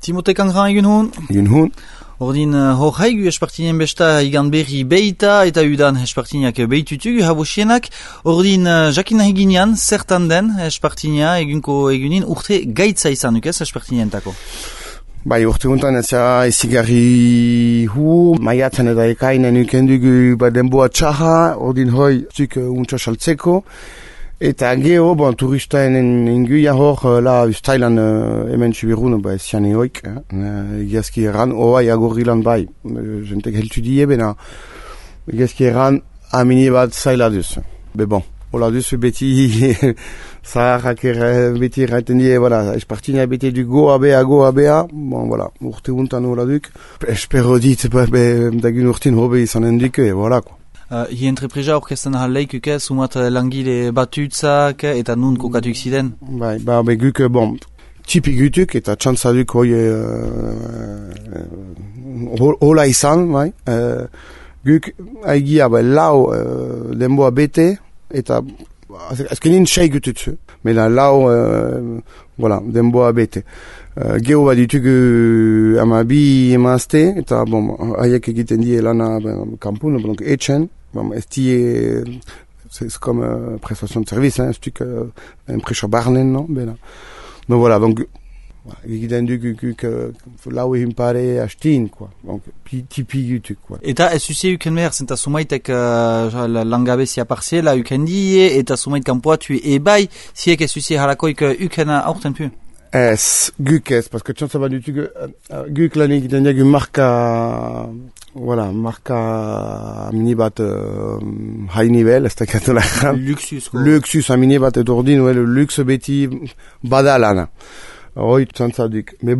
Timote Kangran egun hon? Egun hon. Ordin hor haigu espartinien besta igan berri beita eta udan espartiniak beitutugu habosienak. Ordin jakin nahi ginean zertan den espartinia egunin urte gaitza izan duk ez espartinientako? Bai, urte guntan ez ezigarri maiatzen eta ekainen ukendugu denboa txaha, ordin hoi zuk untsa saltzeko. Eta geho, turistaen inguia hor, la ustailan hemen txibirun, zian eoik, egiazki erran, oai agorrilan bai, jentek heltu die, bena egiazki erran amini bat zaila duz. Hola duz beti zaharrak beti erraiten die, espartinia beti du goa bea, urte guntan hola duk, espero dit, dagun urtin hobe izanen duke, ko. Hi entrepresa orkesten ahaleik sumat langile batutzak eta nun kokatuk ziren? Bai, guk, tipik gutuk eta txantzaduk hoi hola izan, bai. Guk haigia lau denboa bete eta azkenin 6 gututzu, mena lau denboa bete. Geho bat ditugu amabi emazte eta haiek egiten die lana kampun, etxen. Ez die, c'est comme prestation de service, un truc impression barnen, non? Donc voilà, donc egiten duk lau egin pare hastin, quoi. Donc tipi gutuk, quoi. Eta ez usie uken behar, zenta sumaitek langabezia parziela uken die, eta sumait kanpoatu ebai, ziek ez usie harakoik ukena aurten pu? Ez, guk ez, parce que txantza bat dutuk, guk lan egiten diagu marka mini bat high nivel, ez da katola. Luxus, mini bat edo ordin, lux beti badalana. Hoi txantza duk. Mais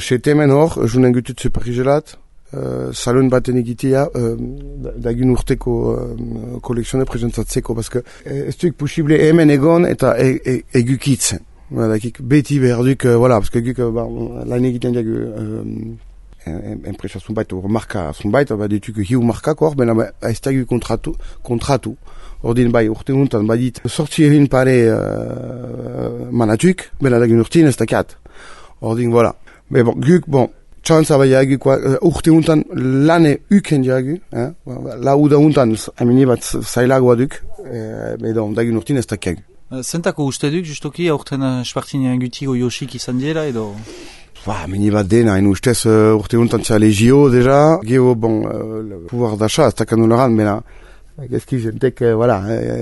chetemen hor, junen gutut superrigelat, salon baten egitea, dagun urteko kolekzione presentatzeko, parce que ez duk posible hemen egon eta egukitzen. Beti behar duk, parce que guk lan egiten diagu enpresa zunbait, marka zunbait, dituk hiu markako hor, bena ez dagu kontratu. Ordin urte guntan, dit, sortzi egin pare manatuk, bena dagun urtin ez dakat. Ordin, guk, txantza urte guntan lane uken diagu, lauda guntan, amini bat zailagoa duk, dagun urtin ez dakagu. Zentako uste duk, justoki, aurten espartinean gutigo Yoshik izan diela, edo? Mini bat dena, ustez urte guntan tza legio, deja, geho, pouvoir d'achat, ez dakan nolaran, bena, gezki jentek,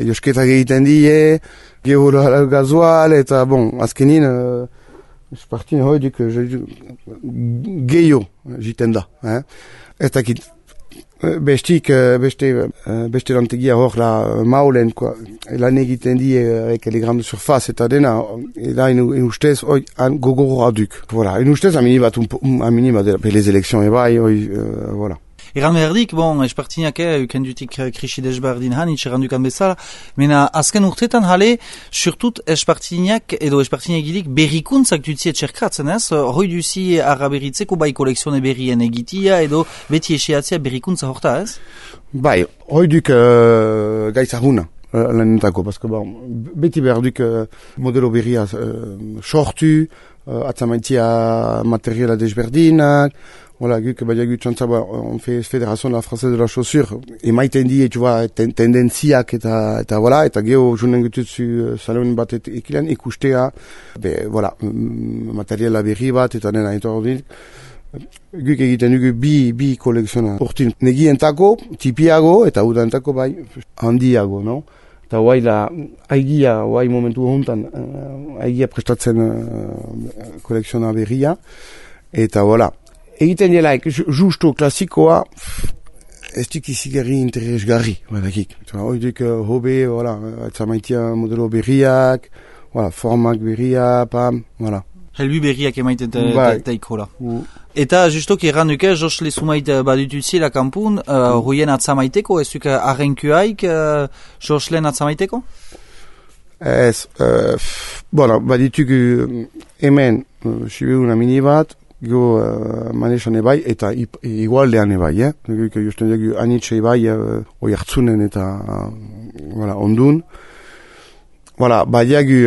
Yoshketak egiten die, geho gazoal, eta, azkenin, espartine hoi duk, geho, jiten da, ez dakit, beste lantegia hor la maulen, lan egiten die avec les grandes surfaces eta dena, eta ustez hoi gogorra duk. Ustez amini bat les élections ebai, voilà. Egan behardik, espartinak ukendutik krisi desberdin hanitz errandukan bezala, mena azken urtetan jale, surtut espartinak edo espartinak gilik berrikuntzak dutzie txerkratzen ez, hoi duzi arraberitzeko bai kolekzione berrien egitia edo beti eseatzea berrikuntza horta ez? Bai, hoi duk gaitzahuna lanetako, beti behar duk modelo berria sortu, atzamaitia materiala desberdinak, guk badiagut txantza, on fait Fédération Française de la Chaussure, emaiten die, tendenziak eta geho junen gututzu salon bat ekilean ikustea, materiala berri bat eta nena etordik. Guk egiten dugu bi kolekziona urtin. Negientako, tipiago eta udantako handiago, no? Eta haigia, momentu hontan, haigia prestatzen kolekziona berria, eta egiten delaik, justo klasikoa, ez duk izigarri interesgarri, hoi duk hobe, atzamaitia modelo berriak, formak berria, Helbu berriak emaiten taikola. Eta justoki erranduke, Josle sumait badututzi la kampun, ruien atzamaiteko, ez duk arrenkuaik Josleen atzamaiteko? Ez, baditugu hemen, sibeun amini bat, go manesan ebai eta igualdean ebai, justen dugu anitxe ebai oi hartzunen eta ondun. Voilà, badiagu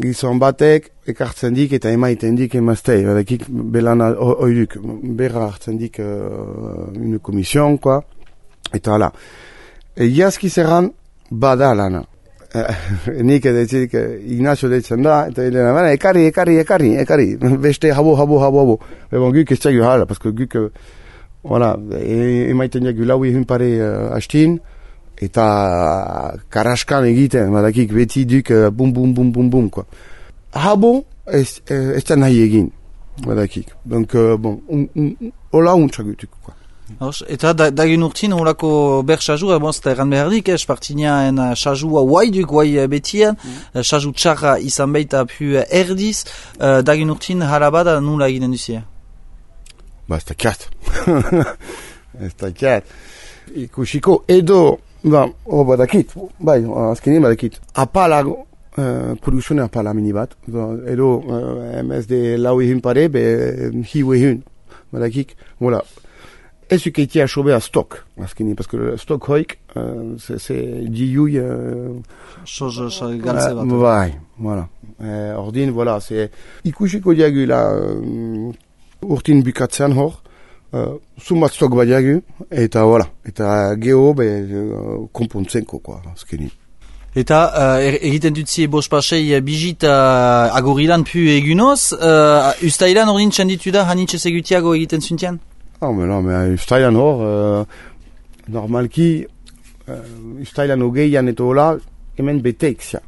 gizon batek ekartzen dik eta emaiten dik emaztei, badakik belan oiduk, berra hartzen dik une komision, quoi, eta hala. Egiazki zerran bada lana. Nik edetzik Ignacio deitzen da, eta ekarri, beste habo. Ebon guk ez txagu hala, pasko guk, voilà, emaiten diagu lau ehun pare hastin, eta karaskan egiten, badakik beti duk bum, quoi. Habo ez nahi egin, badakik. Donc, bon, hola untxagutuk, quoi. Eta dagin urtin horako ber sajua, eta erran behardik, espartinaen sajua guai betian, saju txarra izan baita pu erdiz, dagin urtin harabada nula eginen duzia? Ba, ez dakiat. Ikusiko edo, badakit, azkenean badakit, apalago, produzione apala mini bat, edo MSD lau ehun pare, hiu ehun, badakik, voilà. Ez ukeitia sobea stok, azkenean, parce que le stok hoik, c'est diui... Chose galtze bat. Bai, voilà. Ordin, voilà, c'est... Ikusiko diagu la urtin bukatzean hor, sumat stok badiagu, eta voilà, eta geho, konpontzenko, quoi, azkenean. Eta egiten dutzie bospasei bijit agorilan pu egunoz, ustailan ordin txanditu da hanitxez egutiago egiten zuntian? Mais ustailan hor, normalki, ustailan hogeian eta hola, hemen beteik zia.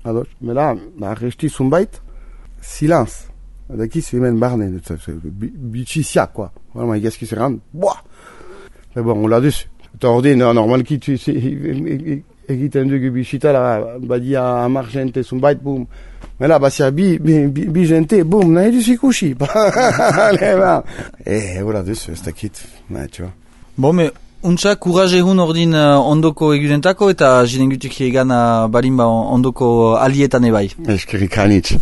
Mais là, resti zunbait, silence. Dakiz hemen barne, bitxi zia, quoi. Vraiment, egazki zerran, boah! Mais bon, on l'a duz. Eta ordin, normalki, egiten dugu bisita, badia amar jente zunbait, boum. Mais là, basia bi jente, boum, nahi duz ikusi. Allez, ba. Voilà, duz, ez dakit, tu vois. Bon, mais, untsa, courage ehun ordin ondoko egudentako, eta jinen gutuk egan barimba ondoko alietan ebai. Eskerrik hanitz.